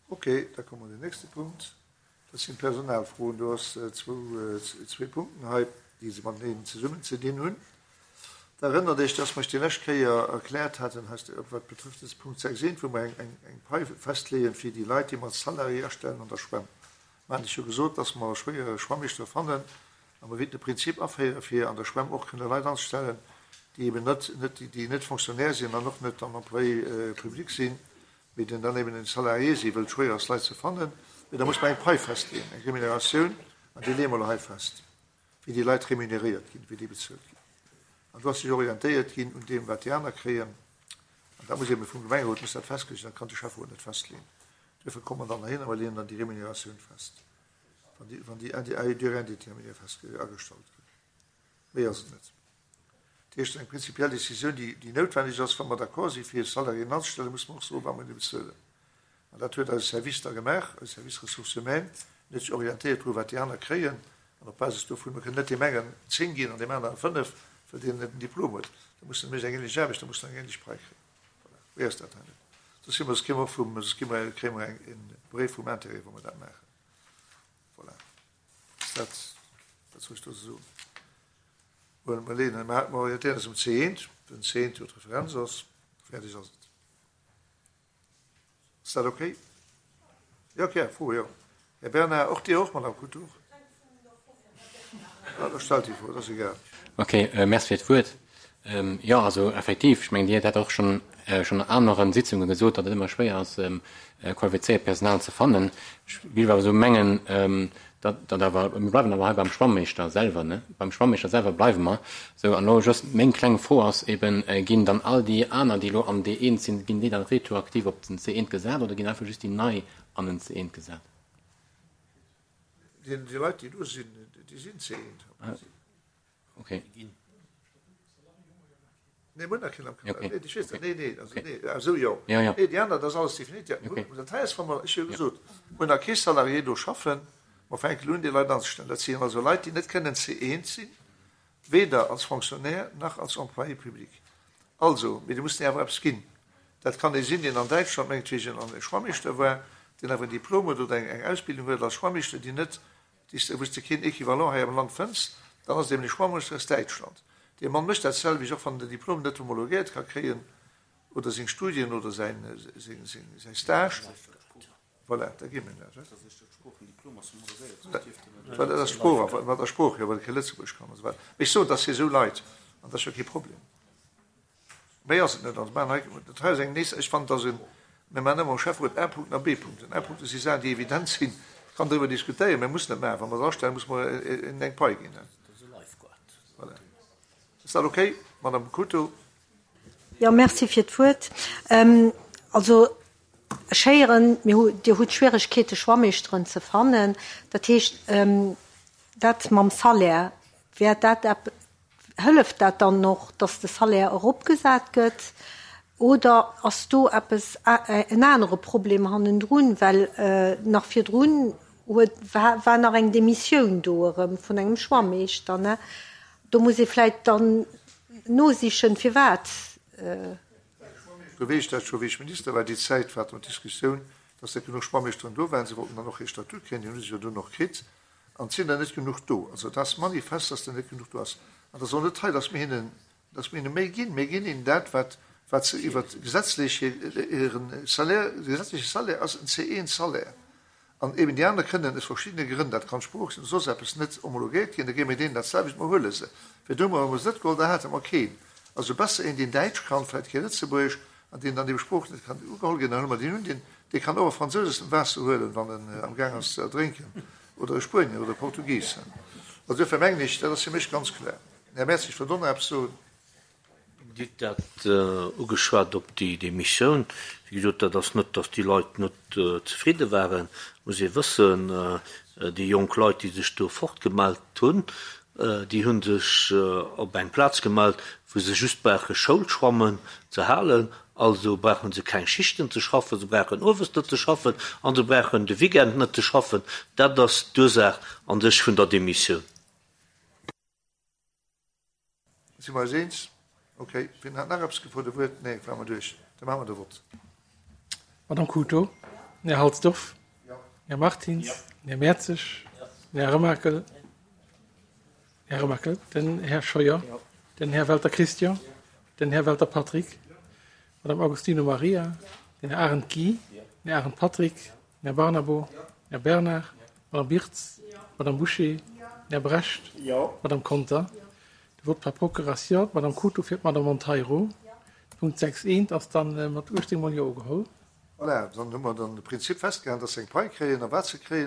Ok, da komme mer un den nächste Punkt. Dat sinn d'Personalfroen. Do ass zwou, zwee Punkten hei, déi se mateneen zesummen ze dinn hunn. Der erënnert Iech, dass mer Iech déi lescht Kéier erkläert haten, wat betrëfft dës Punkt 6 eent, wou mer eng, eng Pai festleeën fir déi Leit, déi mer als Salarié astellen an der Schwämm. Mer haten Iech jo gesot, dass mer schwéier Schwammeeschtere fannen a mer wéilten e Prinzip aféiere fir an der Schwämm och kënne Leit anzestellen, déi eben net, net, déi net Fonctionnaire sinn an och net dann Employé public sinn, mee den dann eben en Salarié si wëllt, schwéier ass Leit ze fannen, mee da muss mer eng Pai festleeën, eng Remuneratioun, an déi leeë mer elo hei fest, wéi déi Leit remuneréiert ginn, wéi déi bezuelt ginn. An do ass sech orientéiert ginn un deem, wat déi aner kréien. An dat muss ebe vum Gemengerot muss dat festgeluecht ginn, dat kann de Schäfferot net festleeën. Duerfir komme mer dann heihin a mer leeën dann déi Remuneratioun fest, wann déi, wann déi à durée indéterminée festge-, agestallt ginn. Méi ass et net. Dat heescht, eng prinzipiell Décisioun, déi, déi noutwendeg ass, wa mer d'accord si fir Salariéen anzestellen, musse mer och soen, wat mer hinne bezuelen. An dat huet eise Service da gemaach, eise Service Ressources humaines, en huet sech orientéiert dru wat déi aner kréien, an op Basis dovun, mer kënnen net deem engen 10 ginn an deem aneren 5, well deen net en Diplom huet, da mussen mécht eng ähnlech Aarbecht, da mussen eng ähnlech Pai kréien. Voilà, méi ass dat hei net. Soss si mer, soss kréie mer och vum, soss gi mer, kréie mer eng, e Bréif vum Intérêt, wa mer dat maachen. Voilà. Ass dat, wat soll ech do soen? Well mer leeën, mer orientéieren eis um C1, den C1 jo d'Referenz ass, fäerdeg ass et. Ass dat okay? Jo, okay, Fro, jo. Här Bernard, och Dir och, Madame Couture? Ah, da stellt déi Fro, dat ass egal. Okay, Merci fir d'Wuert. Jo, also effektiv, ech mengen, Dir hutt dat och schonn schonn an anere Sitzunge gesot, datt et ëmmer schwéier ass, qualifizéiert Personal ze fannen. Ech géif awer esou mengen, datt datt awer, mir bleiwen awer hei beim Schwammeeschter selwer, ne? Beim Schwammeeschter selwer bleiwe mer. Sou, an elo just meng kleng Fro ass eben, Ginn dann all déi aner, déi elo am D1 sinn, ginn déi dann retroaktiv op den C1 gesat oder ginn einfach just déi nei an den C1 gesat? Déi Leit, déi do sinn, déi sinn C1 am Prinzip. Okay. Nee, mir hunn nach keen am Kader. Nee, ech weess dat. Nee, nee, also nee, ah esou, jo. Ja, ja. Nee, déi aner, dat ass alles definiert. Ja, Okay. Dat hei ass, wa mer, ech hu jo gesot, mir hunn nach kee Salarié do schaffen, mer fänken elo un, déi Leit anzestellen. Dat sinn also Leit, déi net kënnen C1 sinn, weder als Fonctionnaire nach als Employé public. Also, mee déi mussen awer eppes ginn. Dat kann ee sinn, deen an Däitschland mengetwegen e Schwammeeschter war, deen awer en Diplom huet oder eng Ausbildung huet als Schwammeeschter, déi net déi wou s de keen Equivalent hei am Land fënns, dann ass et eben e Schwammeeschter aus Däitschland. Dee Mann mécht dat selwecht, och wann en den Diplom net homologéiert ka kréien, oder seng Studien oder säin Stage. Voilà, da gi mir dat. Voilà, dat ass d'Sprooch, mat der Sprooch, jo, well e kee Lëtzebuergesch kann an esou weider. Mee ech soen, dass fir esou Leit, an dat ass jo kee Problem. Méi ass et net. Also maachen hei, dat hei ass eng nees, ech fannen, dass en, mir maachen ëmmer am Schäfferot A-Punkten a B-Punkten. A-Punkte si Saachen, déi evident sinn, kann driwwer diskutéieren, mä mussen net maachen. Wa mer se astellen, musse mer hinnen eng Pai ginn. Voilà. Ass dat okay, Madame Couto? Jo, merci fir d'Wuert. Also ech héieren, mir hu, Dir hutt Schwieregkeete Schwammeeschteren ze fannen. Dat heescht, dat mam Salaire, wär dat epp, Hëlleft dat dann och, dass de Salaire eropgesat gëtt, oder ass do eppes, en anere Problem hannendrun? Well nach virdrun huet, war nach eng Demissioun do erëm vun engem Schwammeeschter, ne? Do muss ee vläicht dann nosichen, firwat. Do weess ech dat scho, wéi ech Minister war, déi Zäit war d'Diskussioun, dass net genuch Schwammeeschteren do waren. Se wollten dann och hir Statut kréien, deen hu se jo dunn och kritt. An et sinn der net genuch do. Also et ass manifest, dass der net genuch do ass. An et ass och net hei, dass mir hinnen, dass mir hinne méi ginn. Mir ginn hinnen dat, wat, wat se iwwer gesetzlech hiren Salaire, de gesetzleche Salaire ass en C1-Salaire. An eben déi aner kënnen aus verschiddene Grënn, dat kann d'Sprooch sinn oder soss eppes, net homologéiert ginn. Da gi mir deenen dat selwecht, mer huele se. Virdu hu mer se net geholl, da hate mer keen. Also besser een, deen Däitsch kann, vläicht kee Lëtzebuergesch, an deen dann ebe Sprooch net kann ugeholl ginn, dann huele mer deen un, deen, dee kann och e Fransous aus dem Waasser huelen, wann en amgaang ass ze erdrénken, oder e Spuenier oder e Portugis. Also duerfir mengen ech, dat ass fir mech ganz kloer. Här Merz, ech wëllt och nach eppes soen. Dir hutt dat ugeschwat op déi Demissioun. Wéi gesot, dat ass net, datt déi Leit net zefridde waren. Et muss ee wëssen, déi jonk Leit, déi sech do fortgemellt hunn, déi hu sech op eng Plaz gemellt, wou se just brauche Schoulschwammen ze halen. Also brauche se keng Schichten ze schaffen, se brauchen owes net ze schaffen a se brauchen de Weekend net ze schaffen. Dat ass d'Ursaach an sech vun der Demissioun. Si mer eis eens? Okay. Wien hat nach eppes gefrot e Wuert? Nee, ware mer duerch. Da maache mer de Vott. Madame Couto. Den Här Halsdorf. Den Här Martins. Den Här Mertzig. Den Här Remakel. Här Remakel. Den Här Scheuer. Den Här Welter Christian. Den Här Welter Patrick. Madame Agostino Maria. Den Här Arendt Guy. Den Här Arendt Patrick. Den Här Barnabo. Den Här Bernard. Madame Birtz. Madame Bouché. Den Här Brecht. Madame Conter. De Vote par procuration, d'Madame Cruto fir d'Madame Monteiro. Punkt 6 eent ass dann mat 18 mol Jo ugeholl. Voilà, dann hu mer dann de Prinzip festgehalen, dass se eng Pai kréien a wat se kréien.